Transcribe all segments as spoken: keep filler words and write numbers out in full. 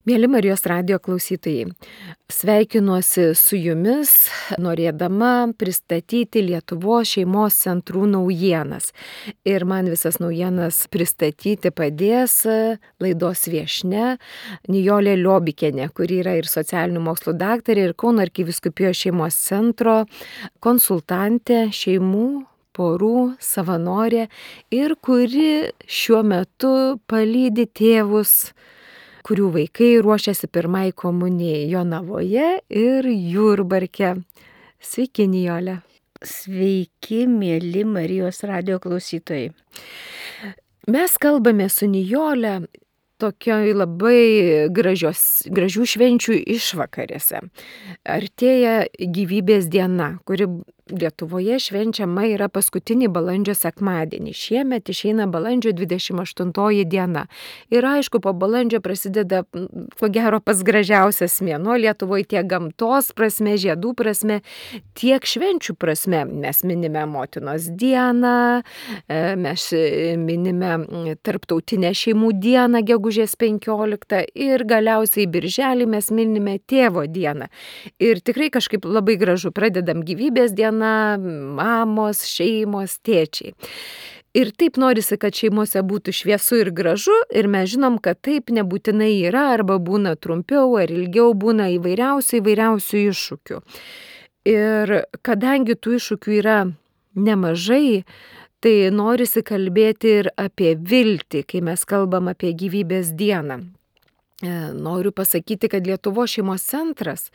Mėly Marijos radijo klausytojai, sveikinuosi su jumis, norėdama pristatyti Lietuvos šeimos centrų naujienas. Ir man visas naujienas pristatyti padės laidos viešnia Nijolė Liobikienė, kuri yra ir socialinių mokslų daktarė, ir Kauno arkivyskupijos šeimos centro konsultantė šeimų, porų, savanorė ir kuri šiuo metu palydi tėvus, kurių vaikai ruošiasi pirmai komunijai Jonavoje ir Jurbarke. Sveiki, Nijolė. Sveiki, mėly Marijos radijo klausytojai. Mes kalbame su Nijolė tokioj labai gražios, gražių švenčių išvakarėse. Artėja gyvybės diena, kuri Lietuvoje švenčiama yra paskutinį balandžio sekmadienį. Šiemet išeina balandžio dvidešimt aštuntoji diena. Ir aišku, po balandžio prasideda, ko gero, pats gražiausias mėnuo Lietuvoje tiek gamtos prasme, žiedų prasme, tiek švenčių prasme. Mes minime Motinos dieną, mes minime Tarptautinę šeimų dieną, gegužės penkioliktą, ir galiausiai birželį mes minime Tėvo dieną. Ir tikrai kažkaip labai gražu, pradedam gyvybės dieną, mamos, šeimos, tėčiai. Ir taip norisi, kad šeimose būtų šviesu ir gražu, ir mes žinom, kad taip nebūtinai yra, arba būna trumpiau ar ilgiau, būna įvairiausių įvairiausių iššūkių. Ir kadangi tų iššūkių yra nemažai, tai norisi kalbėti ir apie viltį, kai mes kalbam apie gyvybės dieną. Noriu pasakyti, kad Lietuvos šeimos centras,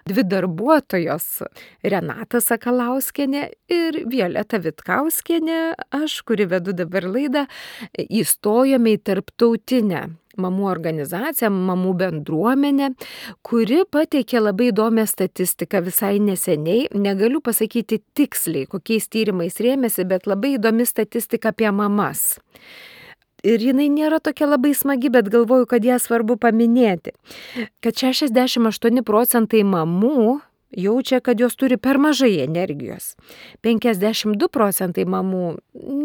dvi darbuotojos, Renata Sakalauskienė ir Violeta Vitkauskienė, aš, kuri vedu dabar laidą, įstojome į tarptautinę mamų organizaciją, mamų bendruomenę, kuri pateikė labai įdomią statistiką visai neseniai. Negaliu pasakyti tiksliai, kokiais tyrimais rėmėsi, bet labai įdomi statistika apie mamas. Ir jinai nėra tokia labai smagi, bet galvoju, kad ją svarbu paminėti. Kad šešiasdešimt aštuoni procentai mamų jaučia, kad jos turi per mažai energijos. penkiasdešimt du procentai mamų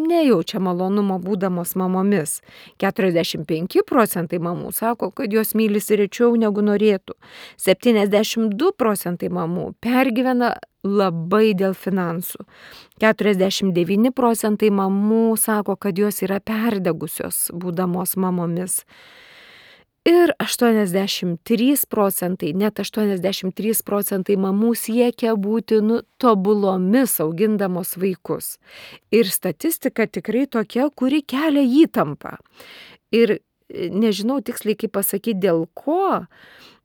nejaučia malonumo būdamos mamomis. keturiasdešimt penki procentai mamų sako, kad jos mylisi rečiau negu norėtų. septyniasdešimt du procentai mamų pergyvena labai dėl finansų. keturiasdešimt devyni procentai mamų sako, kad jos yra perdegusios būdamos mamomis. Ir aštuoniasdešimt trys procentai, net aštuoniasdešimt trys procentai mamų siekia būti nu, tobulomis augindamos vaikus. Ir statistika tikrai tokia, kuri kelia įtampą. Ir nežinau tiksliai kaip pasakyti dėl ko,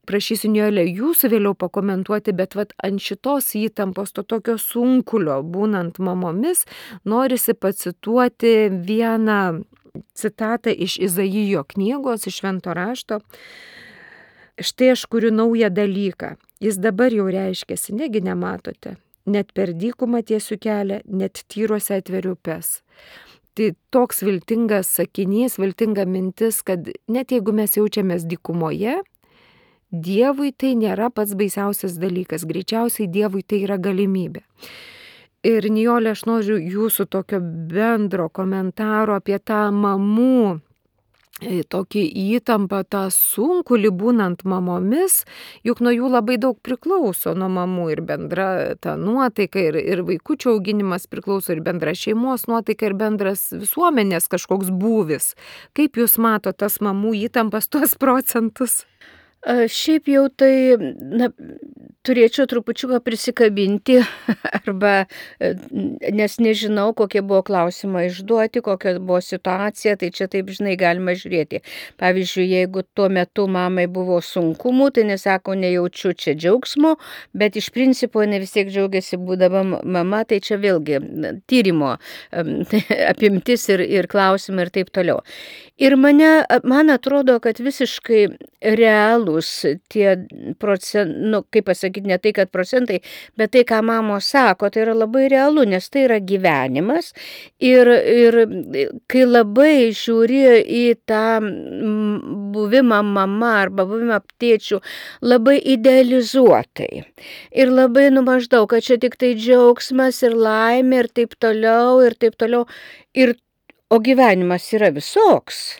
prašysiu Nijolė jūsų vėliau pakomentuoti, bet vat, ant šitos įtampos, to tokio sunkulio būnant mamomis, norisi pacituoti vieną citatą iš Izaijo knygos, iš Švento rašto. Štai aš kuriu naują dalyką. Jis dabar jau reiškiasi, negi nematote. Net per dykumą tiesiu kelią, net tyruose atveriu upes. Tai toks viltingas sakinys, viltinga mintis, kad net jeigu mes jaučiamės dykumoje, Dievui tai nėra pats baisiausias dalykas. Greičiausiai Dievui tai yra galimybė. Ir Nijolė, aš noriu jūsų tokio bendro komentaro apie tą mamų tokį įtampą, tą sunkulį būnant mamomis, juk nuo jų labai daug priklauso, nuo mamų ir bendra ta nuotaika, ir, ir vaikučio auginimas priklauso, ir bendra šeimos nuotaika, ir bendras visuomenės kažkoks būvis. Kaip jūs mato tas mamų įtampas, tuos procentus? Šiaip jau tai, na, turėčiau trupučiuką prisikabinti, arba, nes nežinau, kokie buvo klausimai išduoti, kokia buvo situacija, tai čia taip, žinai, galima žiūrėti. Pavyzdžiui, jeigu tuo metu mamai buvo sunkumų, tai nesako, nejaučiu čia džiaugsmo, bet iš principo ne vis tiek džiaugiasi būdama mama, tai čia vėlgi tyrimo apimtis ir, ir klausimai ir taip toliau. Ir mane, man atrodo, kad visiškai realūs tie procentai, nu, kaip pasakyti, ne tai, kad procentai, bet tai, ką mamos sako, tai yra labai realu, nes tai yra gyvenimas. Ir, ir kai labai žiūri į tą buvimą mama arba buvimą tėčių labai idealizuotai. Ir labai nu maždaug, kad čia tik tai džiaugsmas ir laimė ir taip toliau, ir taip toliau. Ir O gyvenimas yra visoks.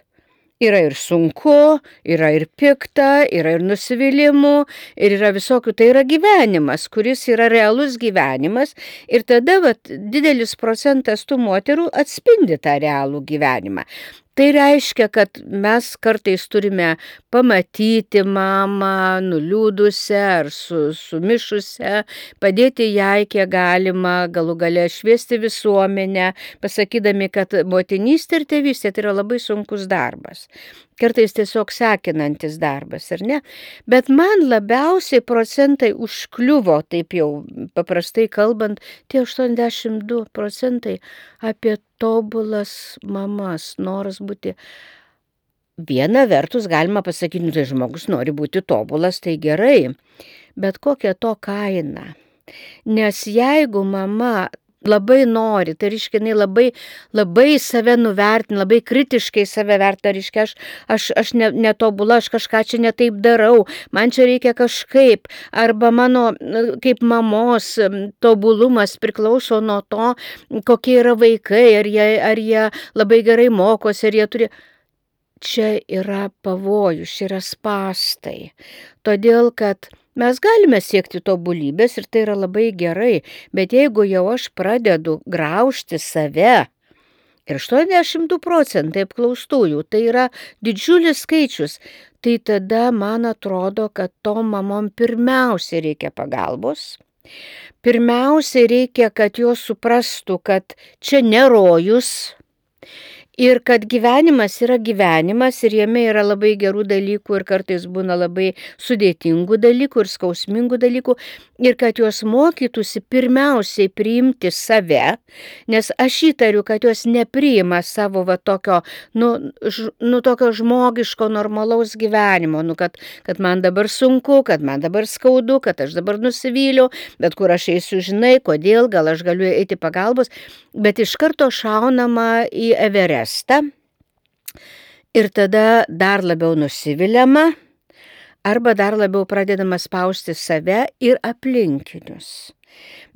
Yra ir sunku, yra ir pikta, yra ir nusivylimų, ir yra visokių. Tai yra gyvenimas, kuris yra realus gyvenimas. Ir tada vat, didelis procentas tų moterų atspindi tą realų gyvenimą. Tai reiškia, kad mes kartais turime pamatyti mamą nuliūdusią ar su, sumišusią, padėti jai kiek galima, galų gale šviesti visuomenę, pasakydami, kad motinystė ir tėvystė tai yra labai sunkus darbas. Kartais tiesiog sekinantis darbas, ar ne? Bet man labiausiai procentai užkliuvo, taip jau paprastai kalbant, tie aštuoniasdešimt du procentai apie tobulas mamas, noras būti. Viena vertus galima pasakyti, nu, tai žmogus nori būti tobulas, tai gerai, bet kokia to kaina. Nes jeigu mama labai nori, tai reiškia, jinai labai, labai save nuvertina, labai kritiškai save vertina, reiškia, aš, aš, aš ne, netobula, aš kažką čia netaip darau, man čia reikia kažkaip, arba mano kaip mamos tobulumas priklauso nuo to, kokie yra vaikai, ar jie, ar jie labai gerai mokosi, ar jie turi. Čia yra pavojus, čia yra spąstai, todėl kad mes galime siekti tobulybės ir tai yra labai gerai, bet jeigu jau aš pradedu graužti save, ir aštuoniasdešimt du procentai apklaustųjų, tai yra didžiulis skaičius, tai tada man atrodo, kad tom mamom pirmiausia reikia pagalbos. Pirmiausia reikia, kad jos suprastų, kad čia ne rojus, ir kad gyvenimas yra gyvenimas ir jame yra labai gerų dalykų ir kartais būna labai sudėtingų dalykų ir skausmingų dalykų ir kad jos mokytųsi pirmiausiai priimti save, nes aš įtariu, kad jos nepriima savo va tokio, nu, ž, nu, tokio žmogiško normalaus gyvenimo, nu, kad, kad man dabar sunku, kad man dabar skaudu, kad aš dabar nusivyliau, bet kur aš eisiu, žinai, kodėl, gal aš galiu eiti pagalbos, bet iš karto šaunama į Everestą. Ir tada dar labiau nusiviliama, arba dar labiau pradedama spausti save ir aplinkinius.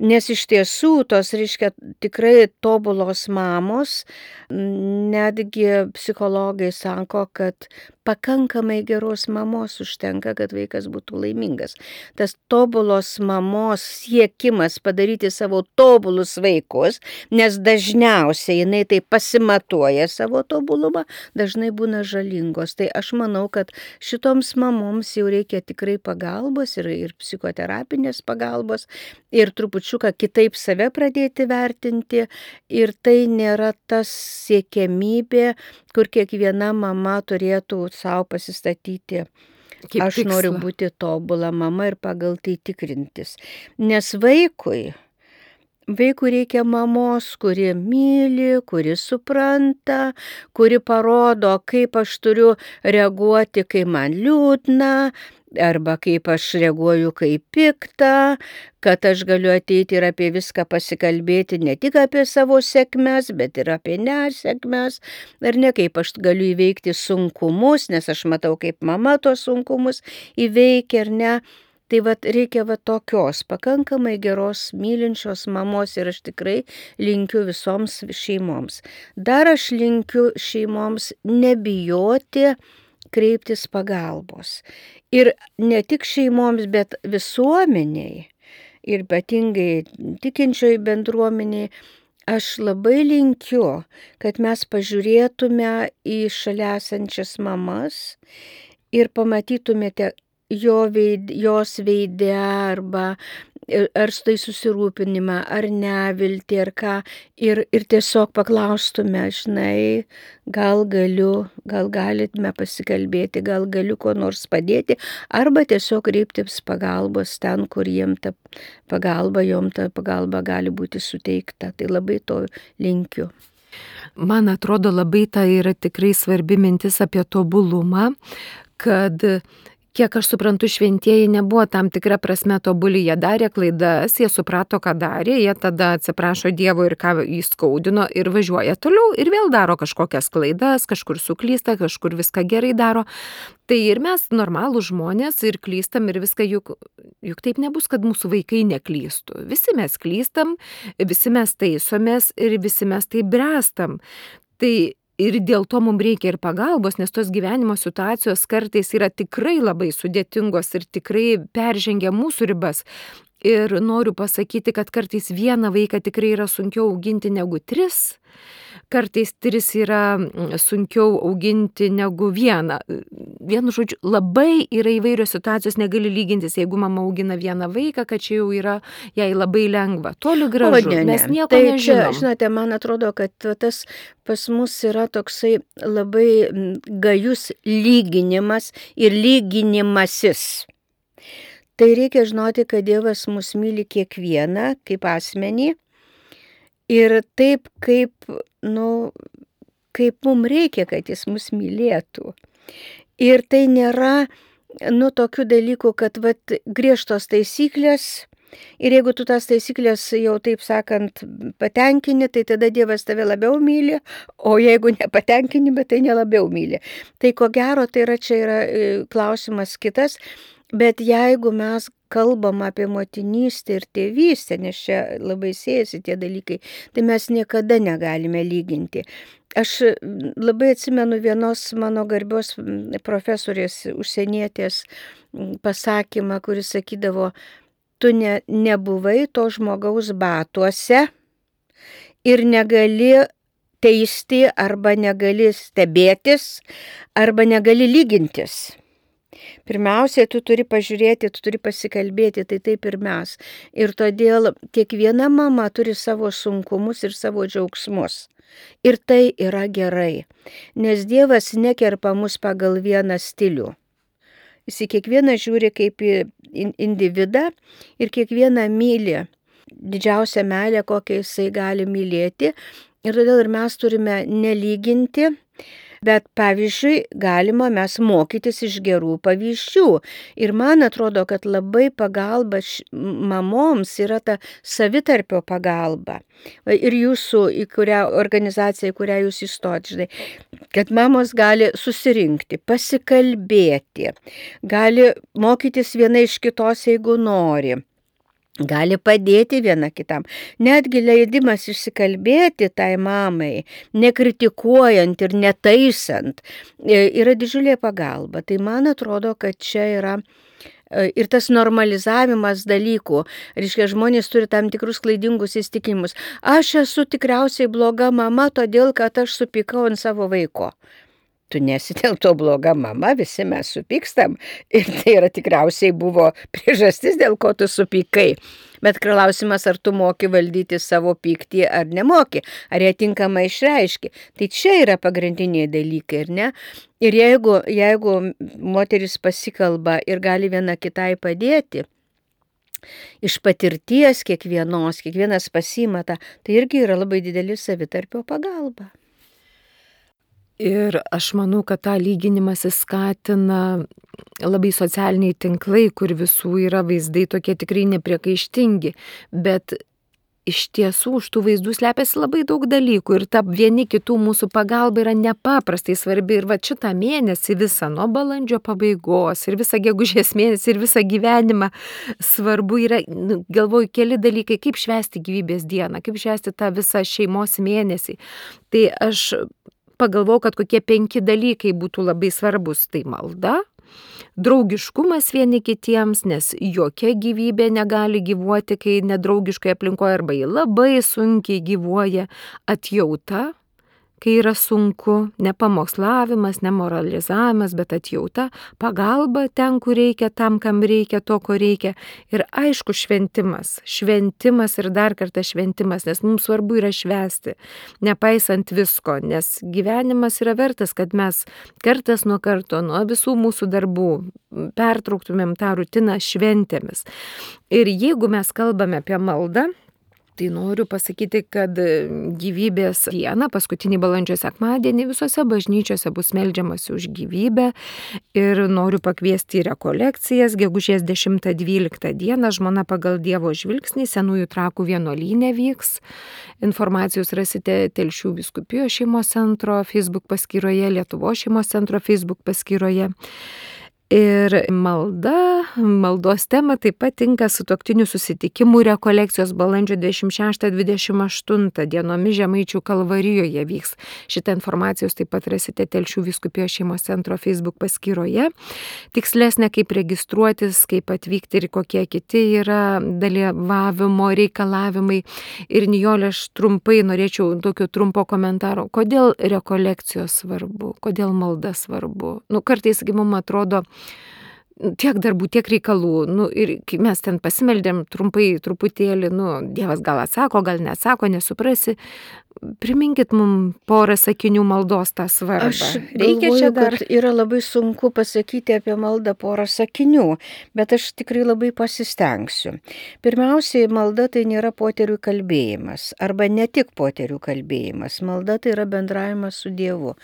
Nes iš tiesų tos, reiškia, tikrai tobulos mamos, netgi psichologai sako, kad pakankamai geros mamos užtenka, kad vaikas būtų laimingas. Tas tobulos mamos siekimas padaryti savo tobulus vaikus, nes dažniausiai jinai tai pasimatuoja savo tobulumą, dažnai būna žalingos. Tai aš manau, kad šitoms mamoms jau reikia tikrai pagalbos ir, ir psichoterapinės pagalbos ir trupučiuką kitaip save pradėti vertinti. Ir tai nėra tas siekiamybė, kur kiekviena mama turėtų savo pasistatyti. Kaip aš tikslą. Noriu būti tobula mama ir pagal tai tikrintis. Nes vaikui, vaikui reikia mamos, kuri myli, kuri supranta, kuri parodo, kaip aš turiu reaguoti, kai man liūdna, arba kaip aš reaguoju, kai pikta, kad aš galiu ateiti ir apie viską pasikalbėti, ne tik apie savo sėkmes, bet ir apie nesėkmes, ar ne, kaip aš galiu įveikti sunkumus, nes aš matau, kaip mama tos sunkumus įveikia, ar ne. Tai vat reikia vat tokios pakankamai geros mylinčios mamos ir aš tikrai linkiu visoms šeimoms. Dar aš linkiu šeimoms nebijoti kreiptis pagalbos. Ir ne tik šeimoms, bet visuomeniai ir ypatingai tikinčioj bendruomeniai, aš labai linkiu, kad mes pažiūrėtume į šalia esančias mamas ir pamatytumėte jo veid, jos veide arba ar tai susirūpinimą, ar neviltį, ar ką, ir, ir tiesiog paklaustume, žinai, gal galiu, gal galime pasikalbėti, gal galiu ko nors padėti, arba tiesiog kreiptis pagalbos ten, kur jiem ta pagalba, jom ta pagalba gali būti suteikta. Tai labai to linkiu. Man atrodo, labai tai yra tikrai svarbi mintis apie tobulumą, kad kiek aš suprantu, šventieji nebuvo tam tikra prasme tobuli, jie darė klaidas, jie suprato, ką darė, jie tada atsiprašo Dievo ir ką jį skaudino ir važiuoja toliau ir vėl daro kažkokias klaidas, kažkur suklysta, kažkur viską gerai daro. Tai ir mes normalūs žmonės ir klystam ir viską, juk, juk taip nebus, kad mūsų vaikai neklystų. Visi mes klystam, visi mes taisomės ir visi mes tai brestam. Tai ir dėl to mums reikia ir pagalbos, nes tos gyvenimo situacijos kartais yra tikrai labai sudėtingos ir tikrai peržengia mūsų ribas. Ir noriu pasakyti, kad kartais vieną vaiką tikrai yra sunkiau auginti negu tris. Kartais tris yra sunkiau auginti negu vieną. Vienu žodžiu, labai yra įvairios situacijos, negali lygintis, jeigu mama augina vieną vaiką, kad čia jau yra jai labai lengva. Toli gražu, ne, ne. mes nieko tai nežinom. Čia, žinote, man atrodo, kad tas pas mus yra toksai labai gajus lyginimas ir lyginimasis. Tai reikia žinoti, kad Dievas mus myli kiekvieną kaip asmenį ir taip, kaip, nu, kaip mums reikia, kad jis mus mylėtų. Ir tai nėra, nu, tokių dalykų, kad, vat, griežtos taisyklės, ir jeigu tu tas taisyklės jau, taip sakant, patenkini, tai tada Dievas tave labiau myli, o jeigu nepatenkini, bet tai nelabiau myli. Tai ko gero, tai yra, čia yra klausimas kitas, bet jeigu mes kalbam apie motinystę ir tėvystę, nes čia labai siejasi tie dalykai, tai mes niekada negalime lyginti. Aš labai atsimenu vienos mano garbios profesorės užsienietės pasakymą, kuris sakydavo, tu ne, nebuvai to žmogaus batuose ir negali teisti arba negali stebėtis arba negali lygintis. Pirmiausia, tu turi pažiūrėti, tu turi pasikalbėti, tai taip ir mes. Ir todėl kiekviena mama turi savo sunkumus ir savo džiaugsmus. Ir tai yra gerai, nes Dievas nekerpa mus pagal vieną stilių. Jis į kiekvieną žiūri kaip į individą ir kiekvieną myli. Didžiausia meilė, kokią jisai gali mylėti. Ir todėl ir mes turime nelyginti. Bet, pavyzdžiui, galima mes mokytis iš gerų pavyzdžių. Ir man atrodo, kad labai pagalba mamoms yra ta savitarpio pagalba. Ir jūsų, į kurią organizaciją, į kurią jūs įstot, žinai, kad mamos gali susirinkti, pasikalbėti, gali mokytis viena iš kitos, jeigu nori. Gali padėti viena kitam. Netgi leidimas išsikalbėti tai mamai, nekritikuojant ir netaisant, yra didžiulė pagalba. Tai man atrodo, kad čia yra ir tas normalizavimas dalykų. Reiškia, žmonės turi tam tikrus klaidingus įsitikimus. Aš esu tikriausiai bloga mama, todėl kad aš supykau ant savo vaiko. Tu nesi dėl to bloga mama, visi mes supykstam ir tai yra tikriausiai buvo priežastis, dėl ko tu supykai. Bet klausimas, ar tu moki valdyti savo pyktį ar nemoki, ar jie tinkamai išreiški. Tai čia yra pagrindiniai dalykai, ir ne? Ir jeigu, jeigu moteris pasikalba ir gali viena kitai padėti, iš patirties kiekvienos, kiekvienas pasimata, tai irgi yra labai didelė savitarpio pagalba. Ir aš manau, kad tą lyginimąsi skatina labai socialiniai tinklai, kur visų yra vaizdai tokie tikrai nepriekaištingi, bet iš tiesų už tų vaizdų slepiasi labai daug dalykų ir ta vieni kitų mūsų pagalba yra nepaprastai svarbi. Ir va šitą mėnesį visą nuo balandžio pabaigos ir visą gegužės mėnesį ir visą gyvenimą svarbu yra, galvoju, keli dalykai, kaip švęsti gyvybės dieną, kaip švęsti tą visą šeimos mėnesį. Tai aš pagalvojau, kad kokie penki dalykai būtų labai svarbus. Tai malda, draugiškumas vieni kitiems, nes jokia gyvybė negali gyvuoti, kai nedraugiškai aplinkoje arba ji labai sunkiai gyvuoja. Atjauta, kai yra sunku, ne pamokslavimas, ne moralizavimas, bet atjauta, pagalba ten, kur reikia, tam, kam reikia, to, ko reikia. Ir aišku, šventimas, šventimas ir dar kartą šventimas, nes mums svarbu yra švęsti, nepaisant visko, nes gyvenimas yra vertas, kad mes kartas nuo karto, nuo visų mūsų darbų pertrauktumėm tą rutiną šventėmis. Ir jeigu mes kalbame apie maldą, tai noriu pasakyti, kad gyvybės dieną, paskutinį balandžio sekmadienį, visose bažnyčiose bus meldžiamasi už gyvybę ir noriu pakviesti į rekolekcijas. Gegužės dešimtą dvyliktą dieną Žmona pagal Dievo žvilgsnį Senųjų Trakų vienuolyne vyks. Informacijos rasite Telšių vyskupijos šeimos centro Facebook paskyroje, Lietuvos šeimos centro Facebook paskyroje. Ir malda, maldos tema taip pat tinka sutuoktinių susitikimų rekolekcijos balandžio dvidešimt šeštą dvidešimt aštuntą dienomis Žemaičių Kalvarijoje vyks. Šitą informaciją jūs taip pat rasite Telšių vyskupijos šeimos centro Facebook paskyroje. Tikslesnė, kaip registruotis, kaip atvykti ir kokie kiti yra dalyvavimo reikalavimai. Ir Nijolė, aš trumpai norėčiau tokio trumpo komentaro. Kodėl rekolekcijos svarbu? Kodėl malda svarbu? Nu, kartais, kai mums atrodo, tiek darbų, tiek reikalų, nu, ir kai mes ten pasimeldėm trumpai, truputėlį, nu, Dievas gal atsako, gal neatsako, nesuprasi. Priminkit mums porą sakinių maldos tą svarbą. Aš Reikia galvoju, čia dar. kad yra labai sunku pasakyti apie maldą porą sakinių, bet aš tikrai labai pasistengsiu. Pirmiausiai, malda tai nėra poterių kalbėjimas, arba ne tik poterių kalbėjimas. Malda tai yra bendravimas su Dievu.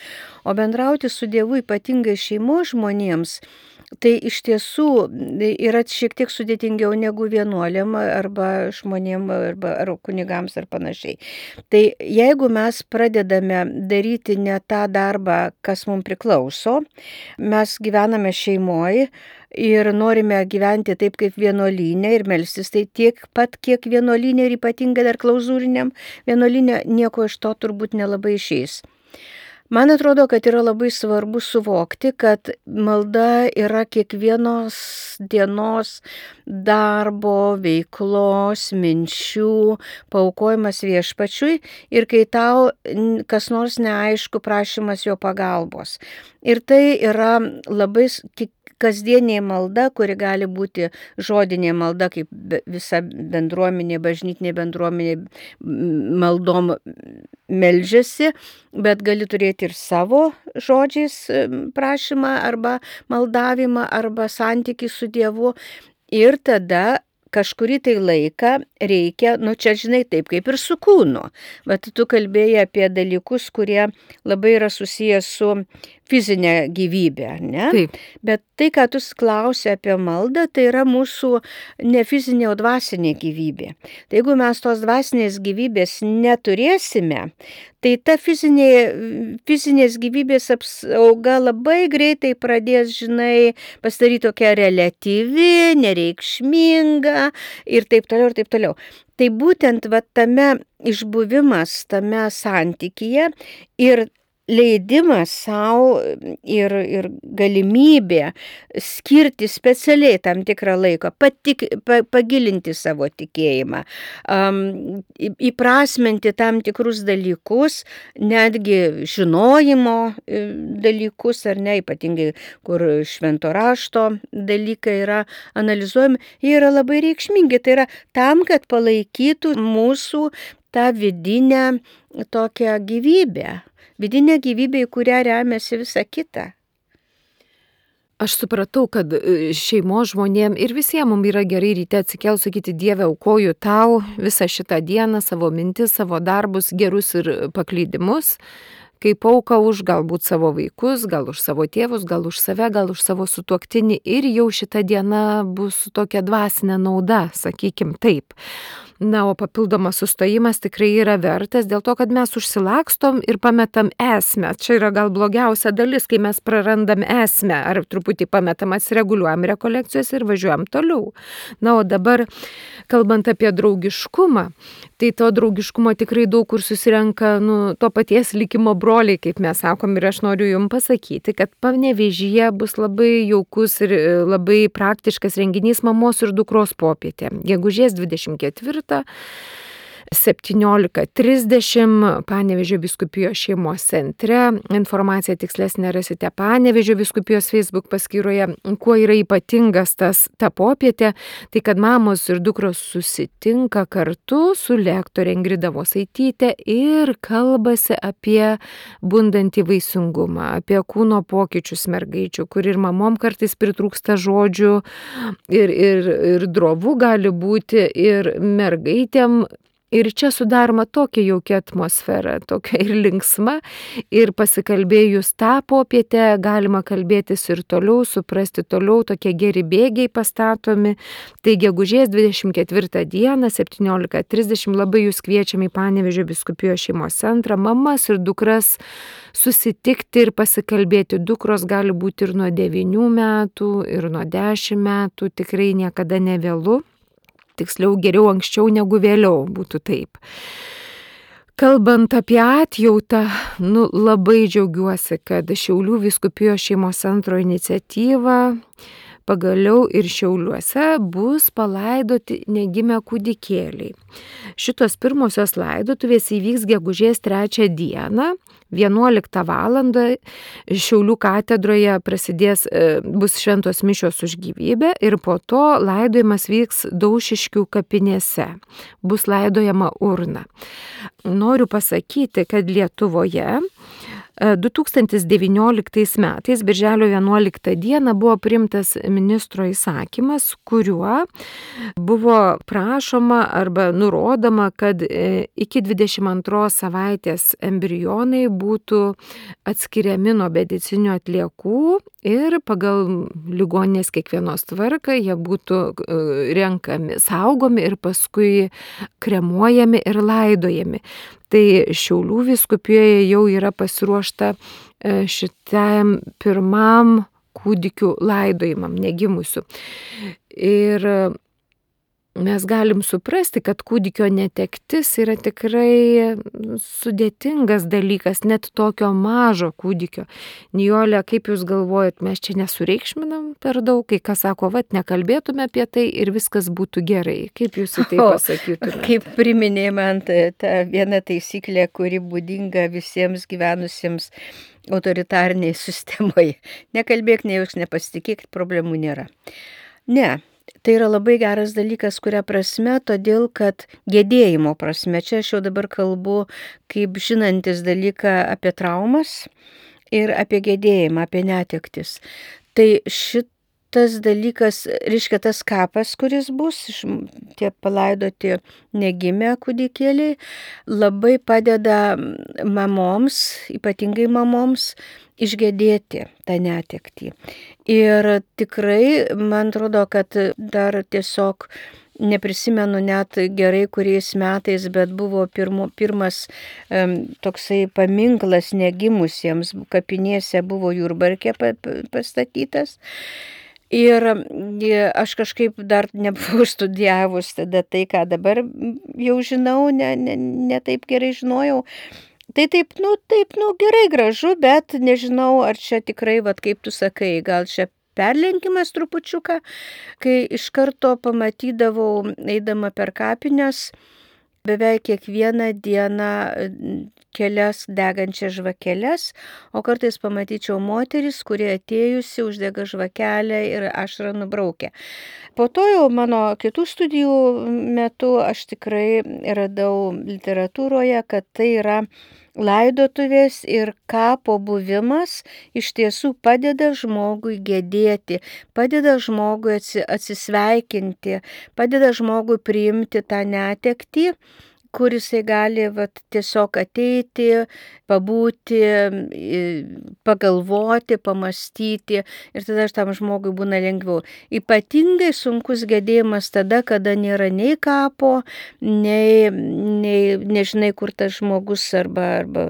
O bendrauti su Dievu ypatingai šeimos žmonėms, tai iš tiesų yra šiek tiek sudėtingiau negu vienuoliam arba žmonėm arba ar kunigams ar panašiai. Tai jeigu mes pradedame daryti ne tą darbą, kas mums priklauso, mes gyvename šeimoje ir norime gyventi taip kaip vienuolyne ir melstis, tai tiek pat kiek vienuolyne ir ypatingai dar klauzūriniam vienuolyne, nieko iš to turbūt nelabai išeis. Man atrodo, kad yra labai svarbu suvokti, kad malda yra kiekvienos dienos darbo, veiklos, minčių, paaukojimas viešpačiui ir kai tau kas nors neaišku, prašymas jo pagalbos. Ir tai yra labai kasdienė malda, kuri gali būti žodinė malda, kaip visa bendruomenė, bažnytinė bendruomenė maldom meldžiasi, bet gali turėti ir savo žodžiais prašymą arba maldavimą arba santykį su Dievu. Ir tada kažkurį tai laiką reikia, nu čia žinai taip kaip ir su kūnu, bet tu kalbėjai apie dalykus, kurie labai yra susijęs su fizinė gyvybė, ne? Taip. Bet tai, ką tu klausi apie maldą, tai yra mūsų ne fizinė, o dvasinė gyvybė. Tai jeigu mes tos dvasinės gyvybės neturėsime, tai ta fizinė, fizinės gyvybės apsauga labai greitai pradės, žinai, pasidaryti tokia reliatyvi, nereikšminga ir taip toliau, ir taip toliau. Tai būtent va, tame išbuvimas, tame santykyje ir leidimas savo ir, ir galimybė skirti specialiai tam tikrą laiką, patik, pa, pagilinti savo tikėjimą, um, įprasminti tam tikrus dalykus, netgi žinojimo dalykus, ar ne, ypatingai, kur švento rašto dalykai yra analizuojami, jie yra labai reikšmingi. Tai yra tam, kad palaikytų mūsų tą vidinę tokią gyvybę. Vidinė gyvybė, į kurią remiasi visa kita. Aš supratau, kad šeimos žmonėm ir visiems mums yra gerai ryte atsikelt, sakyti, Dieve, aukoju tau visą šitą dieną, savo mintis, savo darbus, gerus ir paklydimus, kaip auka už galbūt savo vaikus, gal už savo tėvus, gal už save, gal už savo sutuoktinį ir jau šita diena bus su tokia dvasinė nauda, sakykim taip. Na, o papildomas sustojimas tikrai yra vertas dėl to, kad mes užsilakstom ir pametam esmę. Čia yra gal blogiausia dalis, kai mes prarandam esmę ar truputį pametam, atsireguliuojam rekolekcijos ir važiuojam toliau. Na, o dabar, kalbant apie draugiškumą, tai to draugiškumo tikrai daug kur susirenka nu, to paties likimo broliai, kaip mes sakom, ir aš noriu jums pasakyti, kad Panevėžyje bus labai jaukus ir labai praktiškas renginys mamos ir dukros popietė. Gegužės dvidešimt ketvirtą septyniolika trisdešimt Panevėžio vyskupijos šeimos centre. Informaciją tikslesnę rasite Panevėžio vyskupijos Facebook paskyroje. Kuo yra ypatingas tas ta popietė, tai kad mamos ir dukros susitinka kartu su lektore Ingrida Vosaityte ir kalbasi apie bundantį vaisingumą, apie kūno pokyčius mergaičių, kur ir mamom kartais pritrūksta žodžių ir, ir, ir drovų gali būti ir mergaitėm Ir čia sudaroma tokia jaukia atmosfera, tokia ir linksma, ir pasikalbėjus tą popietę galima kalbėtis ir toliau, suprasti toliau, tokie geri bėgiai pastatomi. Tai gegužės dvidešimt ketvirtą dieną, septyniolika trisdešimt, labai jūs kviečiame į Panevėžio vyskupijos šeimos centrą, mamas ir dukras susitikti ir pasikalbėti. Dukros gali būti ir nuo devynių metų, ir nuo dešimt metų, tikrai niekada nevėlu. Tiksliau, geriau anksčiau negu vėliau, būtų taip. Kalbant apie atjautą, nu, labai džiaugiuosi, kad Šiaulių vyskupijos šeimos centro iniciatyva pagaliau ir Šiauliuose bus palaidoti negimę kūdikėliai. Šitos pirmosios laidotuvės įvyks gegužės trečią dieną, vienuoliktą valandą Šiaulių katedroje prasidės, bus šventos mišios už gyvybę ir po to laidojimas vyks Daušiškių kapinėse, bus laidojama urna. Noriu pasakyti, kad Lietuvoje du tūkstantis devynioliktais metais, birželio vienuoliktą dieną, buvo priimtas ministro įsakymas, kuriuo buvo prašoma arba nurodoma, kad iki dvidešimt antros savaitės embrionai būtų atskiriami nuo medicininių atliekų ir pagal ligoninės kiekvienos tvarką jie būtų renkami, saugomi ir paskui kremuojami ir laidojami. Tai Šiaulių vyskupijoje jau yra pasiruošta šitam pirmam kūdikių laidojimam, negimusių. Ir mes galim suprasti, kad kūdikio netektis yra tikrai sudėtingas dalykas, net tokio mažo kūdikio. Nijolė, kaip jūs galvojat, mes čia nesureikšminam per daug, kai kas sako, vat, nekalbėtume apie tai ir viskas būtų gerai. Kaip jūs į tai pasakytumėte? Kaip priminė man ta viena taisyklė, kuri būdinga visiems gyvenusiems autoritariniai sistemoje. Nekalbėk, nejauks, nepasitikėk, problemų nėra. Ne. Tai yra labai geras dalykas, kuria prasme, todėl kad gedėjimo prasme, čia aš jau dabar kalbu kaip žinantis dalyką apie traumas ir apie gedėjimą, apie netektis. Tai šitas dalykas, reiškia tas kapas, kuris bus, tie palaidoti negimę kūdikėliai, labai padeda mamoms, ypatingai mamoms, išgedėti tą netektį. Ir tikrai, man atrodo, kad dar tiesiog neprisimenu net gerai kuriais metais, bet buvo pirmo, pirmas um, toksai paminklas negimusiems, kapinėse buvo Jurbarke pastatytas. Ir aš kažkaip dar nebuvau studijavus tada tai, ką dabar jau žinau, ne, ne, ne taip gerai žinojau. Tai taip, nu, taip, nu, gerai gražu, bet nežinau, ar čia tikrai, vat, kaip tu sakai, gal čia perlenkimas trupučiuką, kai iš karto pamatydavau, eidama per kapines, beveik kiekvieną dieną kelias degančias žvakeles, o kartais pamatyčiau moteris, kurie atėjusi uždega žvakelę ir ašarą nubraukia. Po to jau mano kitų studijų metu aš tikrai radau literatūroje, kad tai yra laidotuvės ir kapo buvimas iš tiesų padeda žmogui gedėti, padeda žmogui atsisveikinti, padeda žmogui priimti tą netektį, kur jisai gali vat, tiesiog ateiti, pabūti, pagalvoti, pamastyti ir tada tam žmogui būna lengviau. Ypatingai sunkus gedėjimas tada, kada nėra nei kapo, nei, nei nežinai, kur tas žmogus arba, arba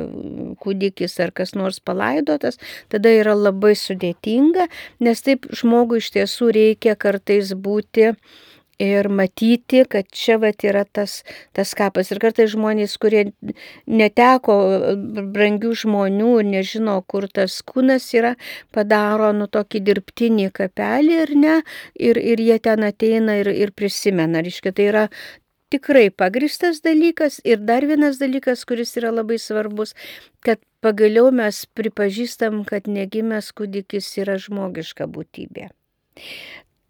kūdikis ar kas nors palaidotas, tada yra labai sudėtinga, nes taip žmogui iš tiesų reikia kartais būti ir matyti, kad čia vat yra tas, tas kapas. Ir kartais žmonės, kurie neteko brangių žmonių ir nežino, kur tas kūnas yra, padaro nu tokį dirbtinį kapelį ir ne, ir, ir jie ten ateina ir, ir prisimena. Reiškia, tai yra tikrai pagristas dalykas. Ir dar vienas dalykas, kuris yra labai svarbus, kad pagaliau mes pripažįstam, kad negimęs kūdikis yra žmogiška būtybė.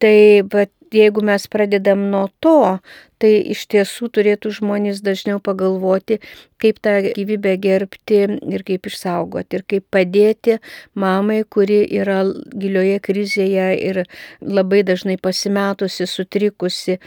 Tai bet jeigu mes pradedam nuo to, tai iš tiesų turėtų žmonės dažniau pagalvoti, kaip tą gyvybę gerbti ir kaip išsaugoti ir kaip padėti mamai, kuri yra gilioje krizėje ir labai dažnai pasimetusi, sutrikusi,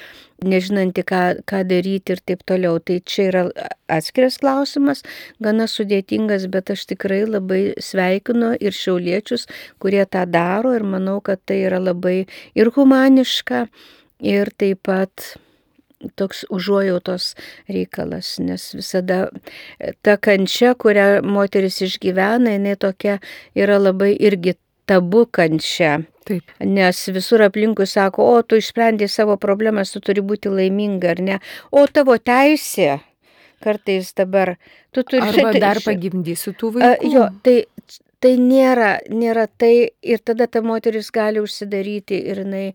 nežinanti, ką, ką daryti ir taip toliau. Tai čia yra atskiras klausimas, gana sudėtingas, bet aš tikrai labai sveikinu ir šiauliečius, kurie tą daro ir manau, kad tai yra labai ir humaniška, ir taip pat toks užuojautos reikalas, nes visada ta kančia, kurią moteris išgyvena, jinai tokia yra labai irgi tabu kančia. Taip. Nes visur aplinkui sako, o tu išsprendai savo problemas, tu turi būti laiminga, ar ne? O tavo teisė, kartais dabar, tu turi... Arba dar pagimdysi tų vaikų. Jo, tai, tai nėra, nėra tai, ir tada ta moteris gali užsidaryti ir jinai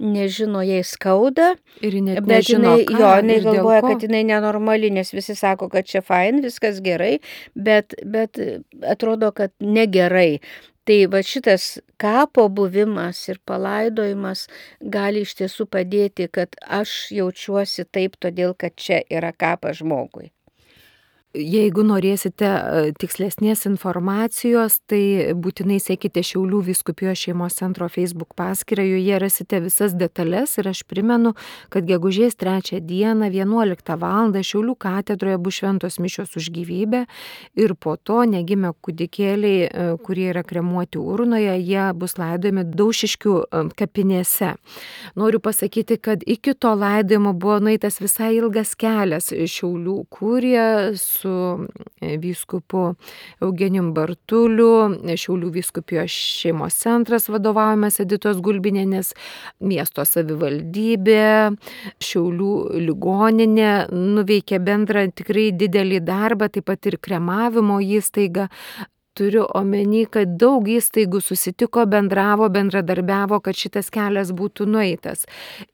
nežino, jai skauda, ir net bet nežino, jinai, ką, jo, jinai ir dėl galvoja, ko. kad jinai nenormali, nes visi sako, kad čia fain, viskas gerai, bet, bet atrodo, kad negerai. Tai va šitas kapo buvimas ir palaidojimas gali iš tiesų padėti, kad aš jaučiuosi taip, todėl kad čia yra kapas žmogui. Jeigu norėsite tikslesnės informacijos, tai būtinai sekite Šiaulių vyskupijos šeimos centro Facebook paskyrą, joje rasite visas detalės ir aš primenu, kad gegužės trečią dieną vienuoliktą valandą Šiaulių katedroje bus šventos mišios už gyvybę ir po to negimę kūdikėliai, kurie yra kremuoti urnoje, jie bus laidojami Daušiškių kapinėse. Noriu pasakyti, kad iki to laidojimo buvo nueitas visai ilgas kelias Šiaulių kurija su su vyskupu Eugenijum Bartuliu, Šiaulių vyskupijos šeimos centras vadovaujamas Editos Gulbinienės, miesto savivaldybė, Šiaulių ligoninė nuveikė bendrą tikrai didelį darbą, taip pat ir kremavimo įstaiga. Turiu omeny, kad daug įstaigų susitiko, bendravo, bendradarbiavo, kad šitas kelias būtų nueitas.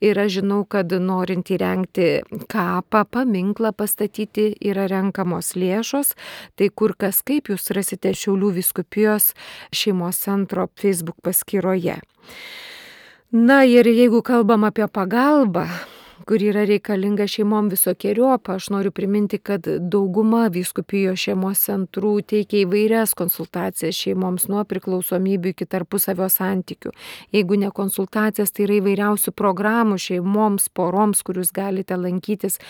Ir aš žinau, kad norint įrengti kapą, paminklą pastatyti, yra renkamos lėšos. Tai kur kas kaip jūs rasite Šiaulių vyskupijos šeimos centro Facebook paskyroje. Na ir jeigu kalbam apie pagalbą, kur yra reikalinga šeimom visokiojopą, aš noriu priminti, kad dauguma vyskupijos šeimos centrų teikia įvairias konsultacijas šeimoms nuo priklausomybių iki tarpusavio santykių. Jeigu ne konsultacijas, tai yra įvairiausių programų šeimoms, poroms, kur jūs galite lankytis.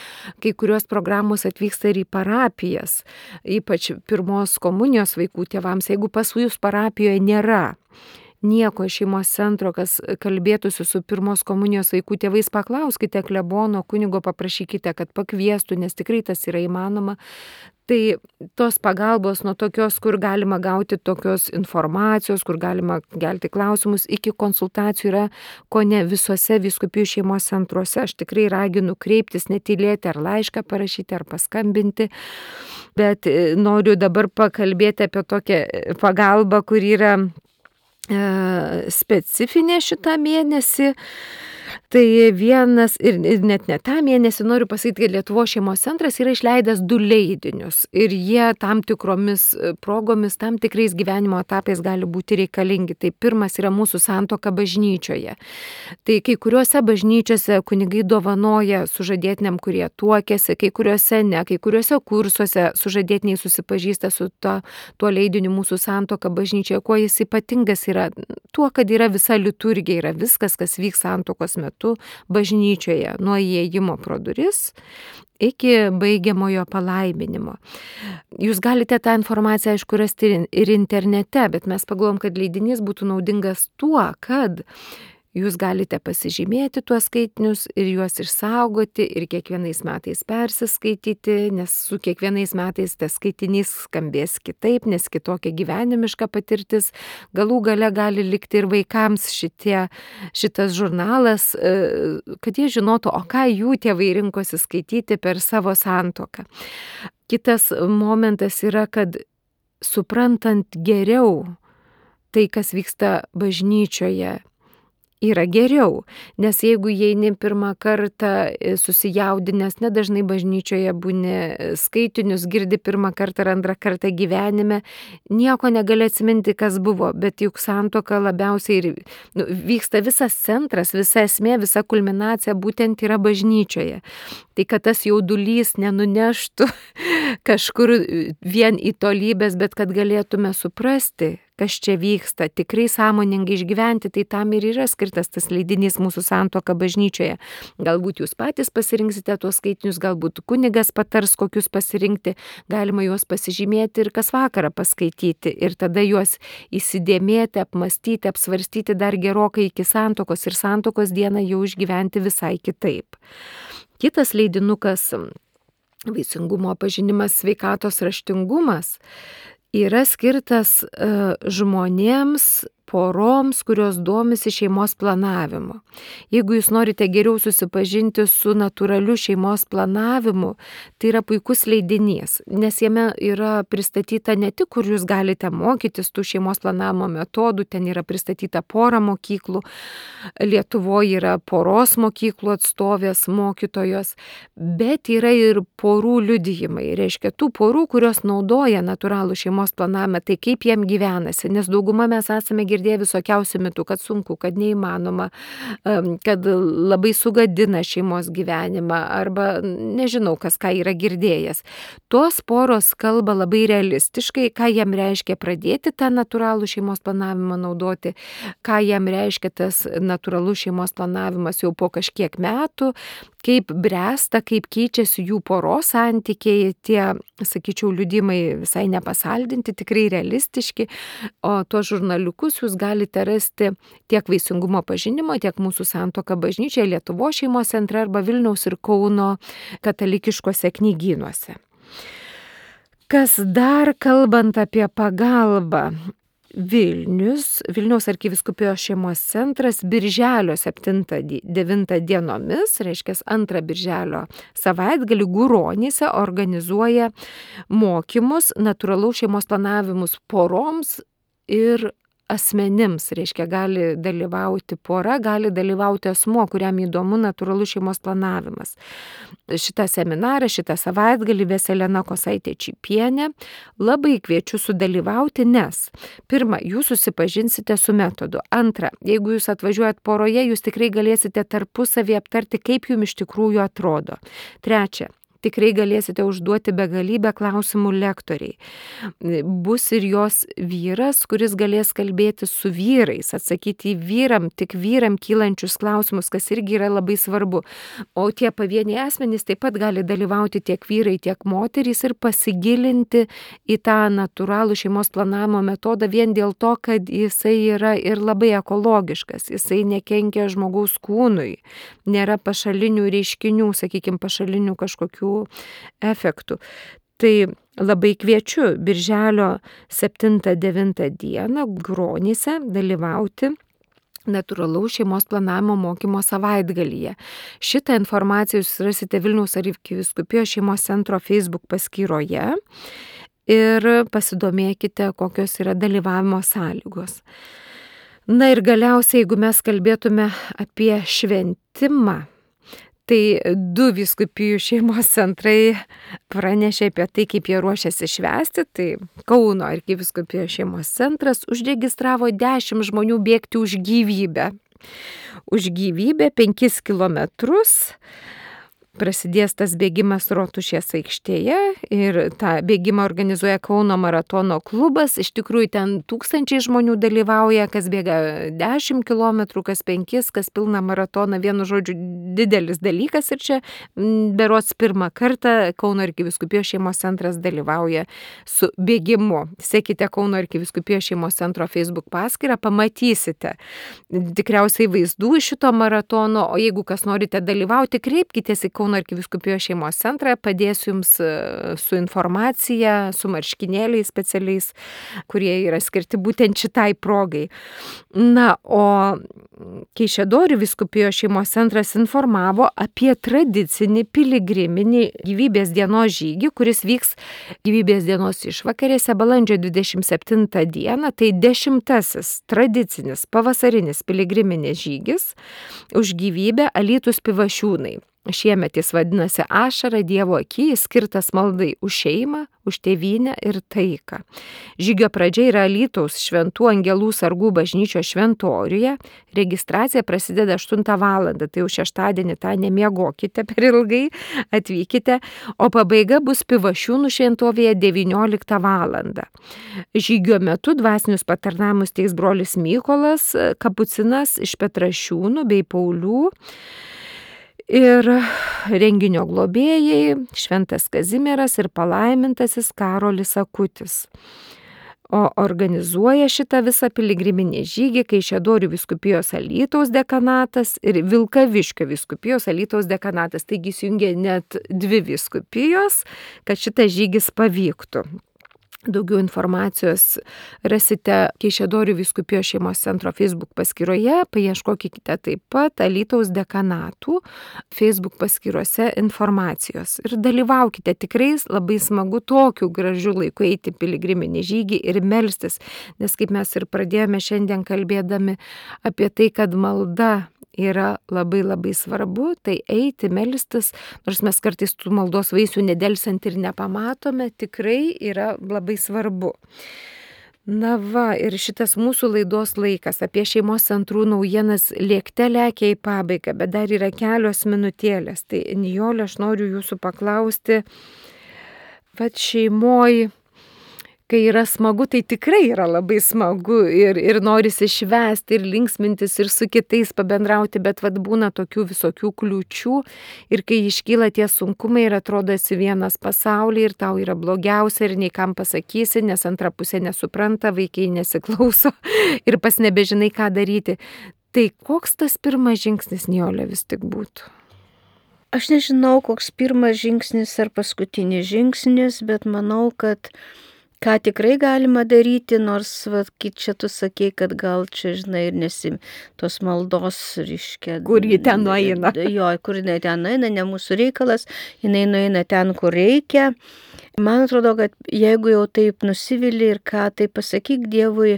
Kai kurios programos atvyksta ir į parapijas, ypač pirmos komunijos vaikų tėvams. Jeigu pas jūs parapijoje nėra nieko šeimos centro, kas kalbėtųsi su pirmos komunijos vaikų tėvais, paklauskite klebono, kunigo, paprašykite, kad pakviestų, nes tikrai tas yra įmanoma. Tai tos pagalbos nuo tokios, kur galima gauti tokios informacijos, kur galima kelti klausimus, iki konsultacijų yra ko ne visose vyskupijų šeimos centruose. Aš tikrai raginu kreiptis, netylėti ar laišką parašyti, ar paskambinti. Bet noriu dabar pakalbėti apie tokią pagalbą, kur yra specifinė šitą mėnesį. Tai vienas, ir, ir net ne tą mėnesį, noriu pasakyti, kad Lietuvos šeimos centras yra išleidęs du leidinius ir jie tam tikromis progomis, tam tikrais gyvenimo etapais gali būti reikalingi. Tai pirmas yra mūsų santuoka bažnyčioje. Tai kai kuriuose bažnyčiose kunigai dovanoja sužadėtiniam, kurie tuokėsi, kai kuriuose ne, kai kuriuose kursuose sužadėtiniai susipažįsta su to, tuo leidiniu mūsų santuoka bažnyčioje. Kuo jis ypatingas yra? Tuo, kad yra visa liturgija, yra viskas, kas vyks santuokos metu bažnyčioje, nuo įėjimo pro duris iki baigiamojo palaiminimo. Jūs galite tą informaciją, aišku, rasti ir internete, bet mes pagalvom, kad leidinys būtų naudingas tuo, kad jūs galite pasižymėti tuos skaitinius ir juos išsaugoti ir kiekvienais metais persiskaityti, nes su kiekvienais metais tas skaitinys skambės kitaip, nes kitokia gyvenimiška patirtis. Galų gale gali likti ir vaikams šitie, šitas žurnalas, kad jie žinotų, o ką jų tėvai rinkosi skaityti per savo santuoką. Kitas momentas yra, kad suprantant geriau tai, kas vyksta bažnyčioje, yra geriau, nes jeigu įeini pirmą kartą susijaudinęs, nedažnai bažnyčioje būni, skaitinius girdi pirmą kartą ar antrą kartą gyvenime, nieko negali atsiminti, kas buvo, bet juk santuoka labiausiai ir nu, vyksta visas centras, visa esmė, visa kulminacija būtent yra bažnyčioje. Tai kad tas jaudulys nenuneštų kažkur vien į tolybės, bet kad galėtume suprasti, kas čia vyksta, tikrai sąmoningai išgyventi, tai tam ir yra skirtas tas leidinys Mūsų santuoka bažnyčioje. Galbūt jūs patys pasirinksite tuos skaitinius, galbūt kunigas patars, kokius pasirinkti, galima juos pasižymėti ir kas vakarą paskaityti ir tada juos įsidėmėti, apmastyti, apsvarstyti dar gerokai iki santuokos ir santuokos dieną jau išgyventi visai kitaip. Kitas leidinukas Vaisingumo pažinimas, sveikatos raštingumas yra skirtas uh, žmonėms, poroms, kurios domisi šeimos planavimu. Jeigu jūs norite geriau susipažinti su natūraliu šeimos planavimu, tai yra puikus leidinys, nes jame yra pristatyta ne tik, kur jūs galite mokytis tų šeimos planavimo metodų, ten yra pristatyta pora mokyklų, Lietuvoje yra poros mokyklų atstovės, mokytojos, bet yra ir porų liudijimai, reiškia tų porų, kurios naudoja natūralų šeimos planavimą, tai kaip jiem gyvenasi, nes dauguma mes esame girdėję visokiausių mitų, kad sunku, kad neįmanoma, kad labai sugadina šeimos gyvenimą arba nežinau, kas ką yra girdėjęs. Tos poros kalba labai realistiškai, ką jam reiškia pradėti tą natūralų šeimos planavimą naudoti, ką jam reiškia tas natūralus šeimos planavimas jau po kažkiek metų, kaip bręsta, kaip keičiasi jų poros santykiai, tie, sakyčiau, liudimai visai nepasaldinti, tikrai realistiški, o tuos žurnaliukus jūs galite rasti tiek Vaisingumo pažinimo, tiek Mūsų santuoka bažnyčioje, Lietuvos šeimos centre arba Vilniaus ir Kauno katalikiškose knygynuose. Kas dar kalbant apie pagalbą? Vilnius, Vilniaus arkivyskupijos šeimos centras birželio septintą devintą dienomis, reiškia antrą birželio savaitgalį Guronyse organizuoja mokymus natūralaus šeimos planavimus poroms ir asmenims, reiškia gali dalyvauti pora, gali dalyvauti asmuo, kuriam įdomu natūralus šeimos planavimas. Šitą seminarą, šitą savaitgalį ves Elena Kosaitė Čypienė. Labai kviečiu sudalyvauti, nes pirma, jūs susipažinsite su metodu. Antra, jeigu jūs atvažiuojat poroje, jūs tikrai galėsite tarpusavį aptarti, kaip jums iš tikrųjų atrodo. Trečia, tikrai galėsite užduoti begalybę klausimų lektoriai. Bus ir jos vyras, kuris galės kalbėti su vyrais, atsakyti į vyram, tik vyram kylančius klausimus, kas irgi yra labai svarbu. O tie pavieniai asmenys taip pat gali dalyvauti tiek vyrai, tiek moterys ir pasigilinti į tą natūralų šeimos planavimo metodą vien dėl to, kad jisai yra ir labai ekologiškas, jisai nekenkia žmogaus kūnui, nėra pašalinių reiškinių, sakykime, pašalinių kažkokių efektų. Tai labai kviečiu birželio septintą devintą dieną Guronyse dalyvauti natūralaus šeimos planavimo mokymo savaitgalyje. Šitą informaciją jūs rasite Vilniaus arkivyskupijos šeimos centro Facebook paskyroje ir pasidomėkite, kokios yra dalyvavimo sąlygos. Na ir galiausiai, jeigu mes kalbėtume apie šventimą, tai du vyskupijų šeimos centrai pranešė apie tai, kaip jie ruošiasi švęsti. Tai Kauno arkivyskupijos šeimos centras užregistravo dešimt žmonių bėgti už gyvybę. Už gyvybę penkis kilometrus. Prasidės tas bėgimas Rotušės aikštėje ir tą bėgimą organizuoja Kauno maratono klubas. Iš tikrųjų ten tūkstančiai žmonių dalyvauja, kas bėga dešimt kilometrų, kas penkis, kas pilną maratoną. Vienu žodžiu, didelis dalykas ir čia berods pirmą kartą Kauno arkivyskupijos šeimos centras dalyvauja su bėgimu. Sekite Kauno arkivyskupijos šeimos centro Facebook paskyrą, pamatysite tikriausiai vaizdų iš šito maratono, o jeigu kas norite dalyvauti, kreipkitės į Kauno Kauno arkivyskupijos šeimos centrą, padėsiu jums su informacija, su marškinėliais specialiais, kurie yra skirti būtent šitai progai. Na, o Kaišiadorių vyskupijos šeimos centras informavo apie tradicinį piligriminį gyvybės dienos žygį, kuris vyks gyvybės dienos išvakarėse balandžio dvidešimt septintą dieną. Tai dešimtasis tradicinis pavasarinis piligriminis žygis už gyvybę Alytus Pivašiūnai. Šiemet jis vadinasi Ašara Dievo akyje, skirtas maldai už šeimą, už tėvynę ir taiką. Žygio pradžia yra Alytaus Šventų Angelų sargų bažnyčios šventoriuje. Registracija prasideda aštuntą valandą, tai jau šeštadienį tą nemiegokite per ilgai, atvykite, o pabaiga bus Pivašiūnų šventovėje devynioliktą valandą. Žygio metu dvasinius patarnavimus teiks brolis Mykolas Kapucinas iš Petrašiūnų bei Paulių. Ir renginio globėjai Šventas Kazimieras ir palaimintasis Karolis Akutis. O organizuoja šitą visą piligriminį žygį Kaišiadorių vyskupijos Alytaus dekanatas ir Vilkaviškio vyskupijos Alytaus dekanatas. Taigi jungia net dvi vyskupijos, kad šitas žygis pavyktų. Daugiau informacijos rasite Kaišiadorių vyskupijos šeimos centro Facebook paskyroje, paieškokite taip pat Alytaus dekanatų Facebook paskyrose informacijos. Ir dalyvaukite, tikrai labai smagu tokiu gražiu laiku eiti piligriminį žygį ir melstis, nes kaip mes ir pradėjome šiandien kalbėdami apie tai, kad malda yra labai labai svarbu, tai eiti, melstis, nors mes kartais tų maldos vaisių nedelsiant ir nepamatome, tikrai yra labai svarbu. Na va, ir šitas mūsų laidos laikas apie šeimos centrų naujienas lėkte lekia į pabaigą, bet dar yra kelios minutėlės. Tai Nijolė, aš noriu jūsų paklausti, vat šeimoj, kai yra smagu, tai tikrai yra labai smagu ir, ir norisi švęsti ir linksmintis ir su kitais pabendrauti, bet vat būna tokių visokių kliūčių ir kai iškyla tie sunkumai ir atrodo esi vienas pasaulyje ir tau yra blogiausia ir nei kam pasakysi, nes antra pusė nesupranta, vaikai nesiklauso ir pas nebežinai, ką daryti. Tai koks tas pirmas žingsnis, Nijolė, vis tik būtų? Aš nežinau, koks pirmas žingsnis ar paskutinis žingsnis, bet manau, kad ką tikrai galima daryti, nors, va, kai čia tu sakei, kad gal čia, žinai, ir nesim tos maldos, reiškia. Kur ji ten nueina. Jo, kur jinai ten nueina, ne mūsų reikalas, jinai nueina ten, kur reikia. Man atrodo, kad jeigu jau taip nusivili ir ką, tai pasakyk Dievui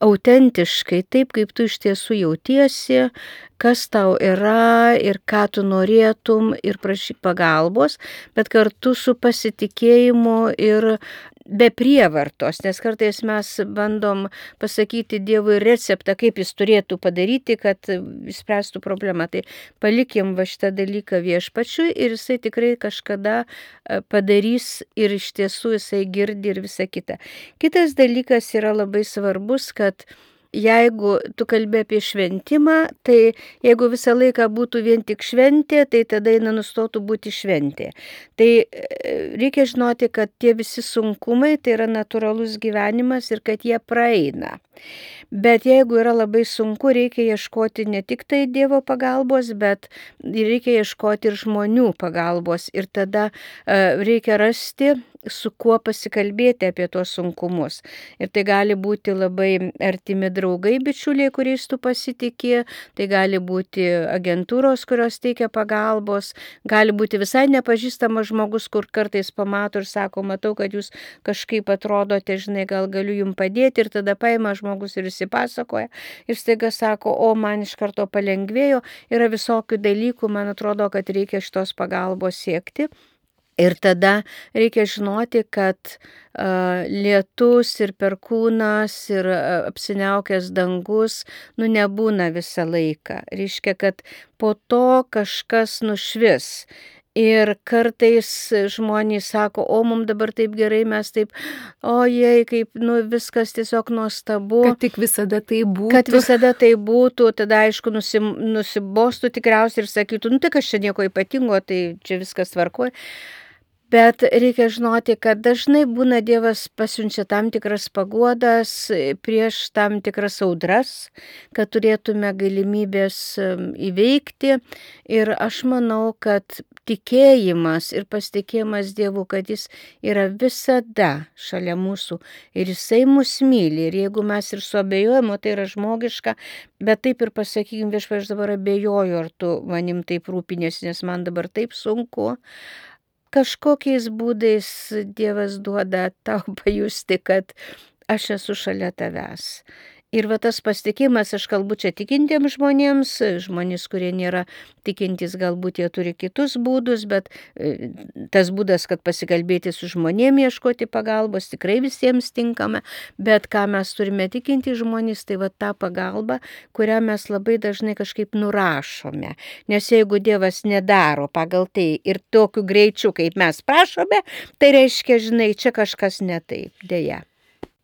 autentiškai, taip kaip tu iš tiesų jautiesi, kas tau yra ir ką tu norėtum ir prašyk pagalbos, bet kartu su pasitikėjimu ir be prievartos, nes kartais mes bandom pasakyti Dievui receptą, kaip jis turėtų padaryti, kad išspręstų problemą. Tai palikim va šitą dalyką Viešpačiui ir jisai tikrai kažkada padarys ir iš tiesų jisai girdi ir visa kita. Kitas dalykas yra labai svarbus, kad jeigu tu kalbi apie šventimą, tai jeigu visą laiką būtų vien tik šventė, tai tada jinai nustotų būti šventė. Tai reikia žinoti, kad tie visi sunkumai tai yra natūralus gyvenimas ir kad jie praeina. Bet jeigu yra labai sunku, reikia ieškoti ne tik tai Dievo pagalbos, bet reikia ieškoti ir žmonių pagalbos. Ir tada uh, reikia rasti, su kuo pasikalbėti apie tuos sunkumus. Ir tai gali būti labai artimi draugai, bičiuliai, kuriais tu pasitikė, tai gali būti agentūros, kurios teikia pagalbos, gali būti visai nepažįstamas žmogus, kur kartais pamato ir sako, matau, kad jūs kažkaip atrodote, žinai, gal galiu jums padėti, ir tada paima žmogus ir įsipasakoja ir staiga sako, o man iš karto palengvėjo, yra visokių dalykų, man atrodo, kad reikia šitos pagalbos siekti. Ir tada reikia žinoti, kad uh, lietus ir perkūnas ir uh, apsiniaukęs dangus, nu, nebūna visą laiką. Reiškia, kad po to kažkas nušvis. Ir kartais žmonės sako, o mums dabar taip gerai, mes taip, ojei, kaip, nu, viskas tiesiog nuostabu. Kad tik visada tai būtų. Kad visada tai būtų, tada aišku nusim, nusibostų tikriausiai ir sakytų, nu, tai kas čia nieko ypatingo, tai čia viskas tvarkoja. Bet reikia žinoti, kad dažnai būna Dievas pasiunčia tam tikras paguodas prieš tam tikras audras, kad turėtume galimybės įveikti. Ir aš manau, kad tikėjimas ir pasitikėjimas Dievu, kad Jis yra visada šalia mūsų ir Jisai mus myli. Ir jeigu mes ir suabejojame, tai yra žmogiška, bet taip ir pasakykim, viešpatie, aš dabar abejoju, ar tu manim taip rūpinėsi, nes man dabar taip sunku. Kažkokiais būdais Dievas duoda tau pajusti, kad aš esu šalia tavęs. Ir va tas pasitikėjimas, aš kalbu čia tikintiems žmonėms, žmonės, kurie nėra tikintys, galbūt jie turi kitus būdus, bet tas būdas, kad pasikalbėti su žmonėmis, ieškoti pagalbos, tikrai visiems tinkama, bet ką mes turime tikinti žmonės, tai va ta pagalba, kurią mes labai dažnai kažkaip nurašome. Nes jeigu Dievas nedaro pagal tai ir tokiu greičiu, kaip mes prašome, tai reiškia, žinai, čia kažkas ne taip, dėja.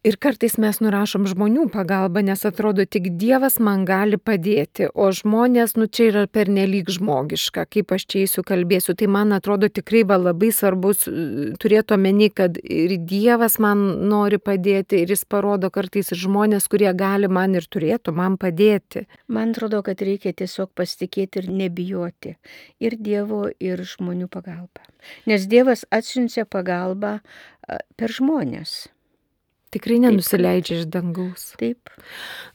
Ir kartais mes nurašom žmonių pagalbą, nes atrodo, tik Dievas man gali padėti, o žmonės, nu čia yra pernelyg žmogiška, kaip aš čia eisiu kalbėsiu. Tai man atrodo tikrai va, labai svarbus turėti omeny, kad ir Dievas man nori padėti ir Jis parodo kartais ir žmonės, kurie gali man ir turėtų man padėti. Man atrodo, kad reikia tiesiog pasitikėti ir nebijoti ir Dievo, ir žmonių pagalbą. Nes Dievas atsiunčia pagalbą per žmonės. Tikrai nenusileidžia iš dangaus. Taip.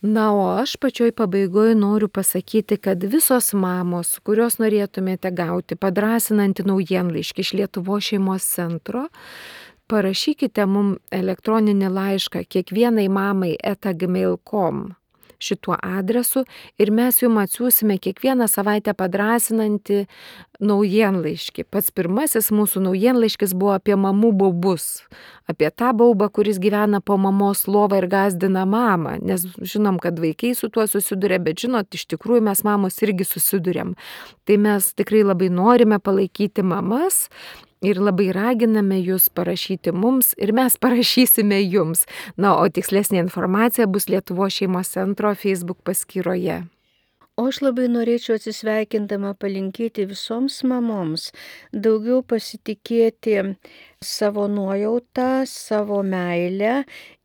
Na, o aš pačioj pabaigoje noriu pasakyti, kad visos mamos, kurios norėtumėte gauti padrąsinantį naujienlaiškį iš Lietuvos šeimos centro, parašykite mum elektroninį laišką kiekvienai mamai eta gmail taškas com šituo adresu ir mes jums atsiųsime kiekvieną savaitę padrąsinantį naujienlaiškį. Pats pirmasis mūsų naujienlaiškis buvo apie mamų baubus, apie tą baubą, kuris gyvena po mamos lovą ir gąsdina mamą, nes žinom, kad vaikai su tuo susiduria, bet žinot, iš tikrųjų mes mamos irgi susiduriam. Tai mes tikrai labai norime palaikyti mamas ir labai raginame jūs parašyti mums ir mes parašysime jums. Na, o tikslesnė informacija bus Lietuvos šeimos centro Facebook paskyroje. O aš labai norėčiau atsisveikindama palinkėti visoms mamoms daugiau pasitikėti savo nuojautą, savo meilę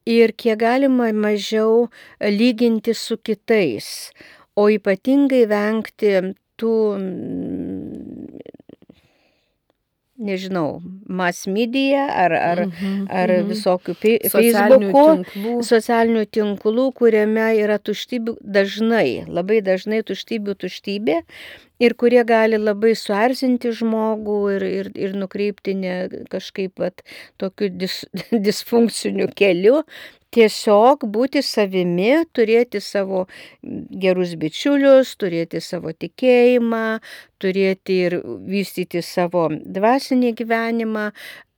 ir kiek galima mažiau lyginti su kitais, o ypatingai vengti tų, nežinau, mass media ar, ar, mm-hmm, ar mm-hmm. visokių Facebookų, tinklų. socialinių tinklų, kuriame yra tuštybių dažnai, labai dažnai tuštybių tuštybė ir kurie gali labai suerzinti žmogų ir, ir, ir nukreipti ne kažkaip vat, tokiu dis, disfunkciniu keliu. Tiesiog būti savimi, turėti savo gerus bičiulius, turėti savo tikėjimą, turėti ir vystyti savo dvasinį gyvenimą,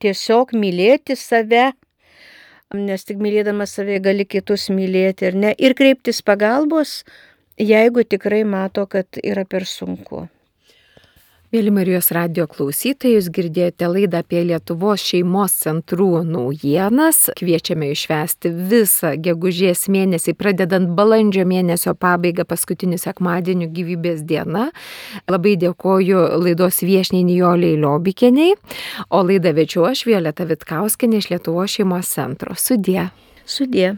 tiesiog mylėti save, nes tik mylėdamas save gali kitus mylėti ir ne, ir kreiptis pagalbos, jeigu tikrai mato, kad yra per sunku. Mėly Marijos radijo klausytojai, jūs girdėjote laidą apie Lietuvos šeimos centrų naujienas. Kviečiame išvesti visą gegužės mėnesį, pradedant balandžio mėnesio pabaigą paskutinių sekmadienių gyvybės diena. Labai dėkoju laidos viešniai Nijolei Liobikienei, o laidą vedžiau aš Violeta Vitkauskienė iš Lietuvos šeimos centro. Sudie. Sudie.